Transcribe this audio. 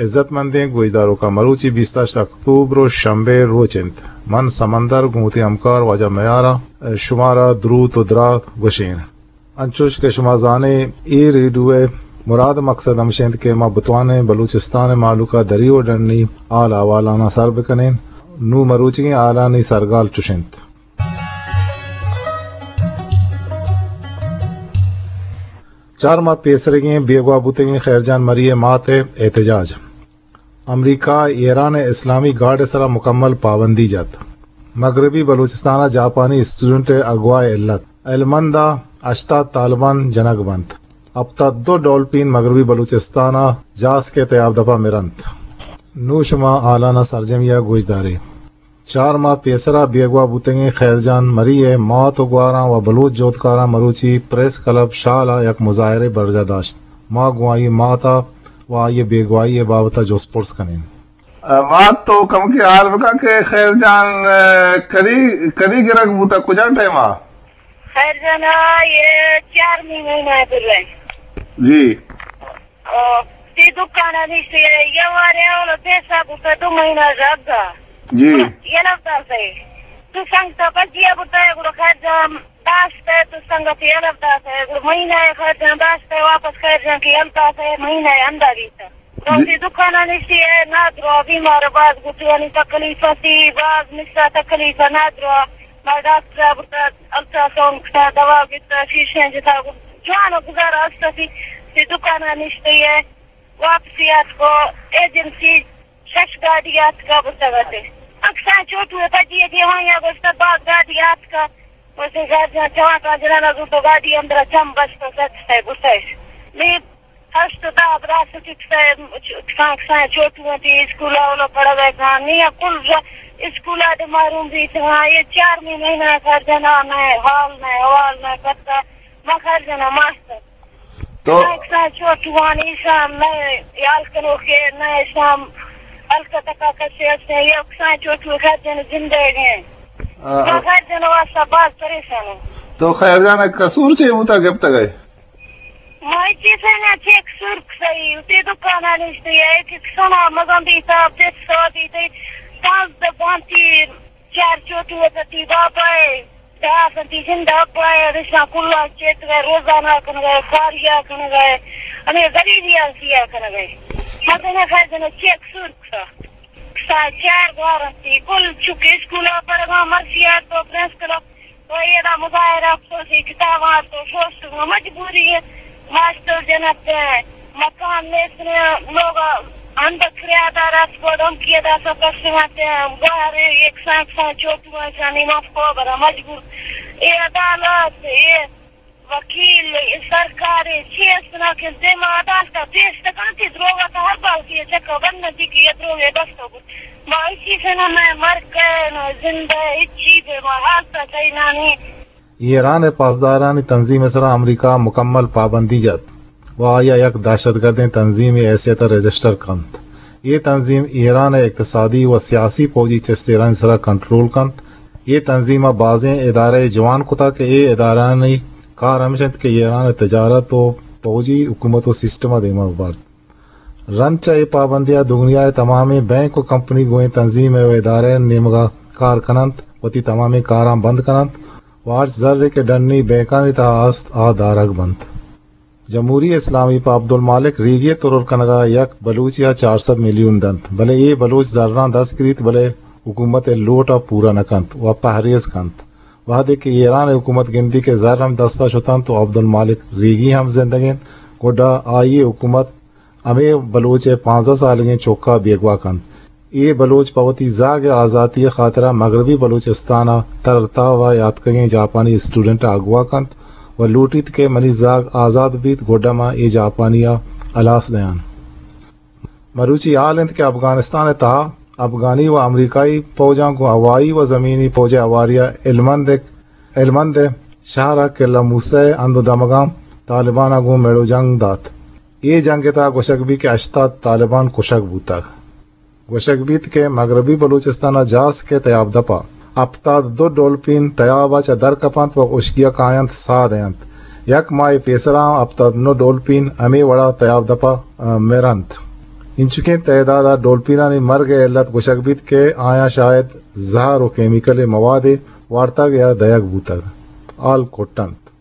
عزت مندیں گوشداروکاں، مروچی بیست ءُ ہشت اکتوبر ءُ شمبے روچ انت۔ من سمندر گوں وتی ہمکار واجہ میار ءَ شمارا دروت ءُ دراہ گوشیں۔ انچوش کہ شما زانیں، اے ریڈیو ءِ مراد ءُ مقصد ہمش انت کہ ما بتوانیں بلوچستان ءِ مہلوک ءَ دری ءُ ڈنی حال احوالاناں سر بکنیں۔ نوں مروچیگیں حالانی سرگال چش انت۔ چار ماہ پیسریگیں بیگواہ بوتگیں خیر جان مری ءِ مات ءِ احتجاج۔ امریکہ ءَ ایران ءِ اسلامی گارڈ ءِ سرا مکمل پابندی جت۔ مغربی بلوچستان ءَ جاپانی اسٹوڈنٹ ءِ اغوا ءِ علت۔ ہلمند ءَ ہشتاد طالبان جنگ بنت۔ ہپتاد دو ڈولپین مغربی بلوچستان ءَ جاسک ءِ تیاب دپ ءَ مرنت۔ نوں شما حالاناں سرجمی ءَ گوش دارے۔ چار ماہ پیسرا بیگواہ بوتگیں خیر جان مری ءِ مات ءُ گواراں ءُ بلوچ جہدکاراں مروچی پریس کلب شال ءَ یک مظاہرے برجاہ داشت۔ ما گوں آئی ءِ مات ءَ ءُ آئی ءِ بیگواہی ءِ بابت ءَ جست پرس کنیں۔ مات، تو کمکے حال بکن کہ خیر جان، ءَ، کدی، کدی گرگ بوتا، کجا ٹائم ءَ؟ خیر جان ءَ یہ چارمی مہینہ ءَ پر۔ جی۔ او، تی دکان ءَ نشتی، یہ وارے اولا پیسہ بوتا دو مہینہ زیادہ۔ جی۔ یہ لفظ ہے۔ تو سنگ تا بجیا بوتا ہے، گڑا خیر جان داشت ہے، تو سنگت یہ لفظ ہے، گڑا مہینہ ہے خیر جان داشت ہے، واپس خیر جان کی ہلتا ہے، مہینہ ہے اندازی تا۔ روزی دکان ءَ نشتی ءَ، نادرو بیمار، باز گٹانی تکلیف اتی، باز مسا تکلیف، نادرو۔ ما ڈاکٹر ءَ برتا، الٹراساؤنڈ کتا، دوا گتا، شیشیں جتا، جوان ءُ گزارا است اتی۔ تی دکان ءَ نشتی ءَ، واپسی آتکو، ایجنسی شش گاڑی آتکا برتگ اتے۔ اکساں چوٹو ءَ پجی ءَ دیوان یا گوشتا، باز گاڑی آتکا۔ وتی گاڑی جوان کا جنانا زوتو گاڑی اندر چم بست، سچ ہے، گسش۔ نی ہشت دہ براستی کسائے، کسان، کسان چوٹو انتی، اسکول اولا پڑھا گئے کان، نی کل ر-، اسکول آ دے محروم بیت ہاں، یہ چار مہینہ خرجنا نہ، حال نہ، حوال نہ، پتہ، ما خرجنا ماستر۔ تو کسان، کسان چوٹو آن ایشان نہ، یال کنو کہ نہ، ایشان الکا تکا کسے ہستے، یہ کسان چوٹو خرجنا زندہ گئے۔ آ، ما خرجنا واسطہ باز پریشان ہوں۔ تو خیر جان قصور چے بوتا گپتا گئے؟ ما چیزے نہ چیک سرک سہی، تے دکان ءَ نشتے ہے، کہ سنا مزن دیتا، پت سو دیتے، پانزدہ بانتی، چار چوٹو وتی بابا ہے، دہ سنتی زندہ ابا ہے، رشنا کلا چیت گئے، روزانہ کن گئے، کاریا کن گئے، ہمیں غریبی آسیا کن گئے۔ مزن خیر جن چیک سرک سا۔ سا چار گوارنتی، کل چک اسکولا پڑھگا، مرسیار تو پرنس کلب تو ایدا مظاہرہ افسوسی کتاباں تو پوسٹ مجبوری ہے۔ ماسٹر جنت مکان نیست، لوگ اندر کرایہ دار است، کو دھمکی ادا سب کسمت گوہر ایک سانک سان چوٹو انسانی مف کو برا مجبور۔ اے عدالت، اے وکیل، اے سرکار، اے چی است نا کہ دیما عدالت پیش تکنتی دروگا تا ہر باوتی چکا بند نتی کہ یہ دروگے بستو بود۔ ما اسی سے نہ میں مر گئے، نہ زندہ، ہچی بے ما حال تا کئی نانی۔ ایران ءِ پاسدارانی تنظیم ءِ سرا امریکہ ءَ مکمل پابندی جت ءُ آئی ءَ یک دہشتگردیں تنظیمے ءِ حیثیت ءَ رجسٹر کنت۔ اے تنظیم ایران ءِ اقتصادی ءُ سیاسی پوجی چست ایرانی سرا کنٹرول کنت۔ اے تنظیم ءَ بازیں ادارہ جوان کتگ کہ اے ادارہانی کار ہمیش انت کہ ایران ءِ تجارت ءُ پوجی حکومت ءُ سسٹم ءَ دیما ببرت۔ رند چہ اے پابندی ءَ دگنیا ءِ تمامیں بینک ءُ کمپنی گوں اے تنظیم ءُ ادارہ ءِ نیمگ ءَ کار کن انت، وتی تمامیں کاراں بند کن انت ءُ ہرچ زرے کہ ڈنی بینکانی تہا است، آ دارگ بنت۔ جمہوری اسلامی پہ عبدالمالک ریگی ءِ ترور کنگ ءَ یک بلوچے ءَ چار سد میلیون دنت، بلے اے بلوچ زراں دست گریت، بلے حکومت ءِ لوٹ ءَ پورا نہ کنت ءُ پہریز کنت۔ وہدے کہ ایران ءِ حکومت گندی کہ زر ہم دست ءَ شت انت ءُ عبدالمالک ریگی ہم زندگ انت، گڈا آئی ءِ حکومت ہمے بلوچ ءِ پانزدہ سالگیں چک ءَ بیگواہ کنت۔ اے بلوچ پہ وتی زاگ ءِ آزاتی ءِ خاطر ءَ مغربی بلوچستان ءَ تر تاو ءَ یاتکگیں جاپانی اسٹوڈنٹ ءَ اغوا کنت ءُ لوٹیت کہ منی زاگ آزاد بیت، گڈا ما اے جاپانی ءَ ہلاس دیان۔ مروچی حال انت کہ افغانستان ءِ تہا افغانی ءُ امریکائی پوجاں گوں ہوائی ءُ زمینی پوج ءِ ہواری ءَ ہلمند ءِ، ہلمند ءِ شہر ءِ قلعہ موسی ءِ ہند ءُ دمگاں طالبان ءَ گوں میڑ ءُ جنگ دات۔ اے جنگ ءِ تہا گوشگ بیت کہ ہشتاد طالبان کشگ بوتگ۔ گوشگ بیت کہ مغربی بلوچستان ءِ جاسک ءِ تیاب دپ ءَ ہپتاد دو ڈولپین تیاب ءَ چہ در کپنت ءُ ہشکی ءَ کاینت، ساہ دینت۔ یک ماہے پیسرا ہم ہپتاد نو ڈولپین ہمے وڑا تیاب دپ ءَ، ءَ، مرنت۔ انچکیں تعداد ءَ ڈولپینانی مرگ ءِ علت گوشگ بیت کہ آیاں شاید زہر و کیمیکل ءِ موادے وارتگ یا دئیگ بوتگ۔ حال کٹ اَنت۔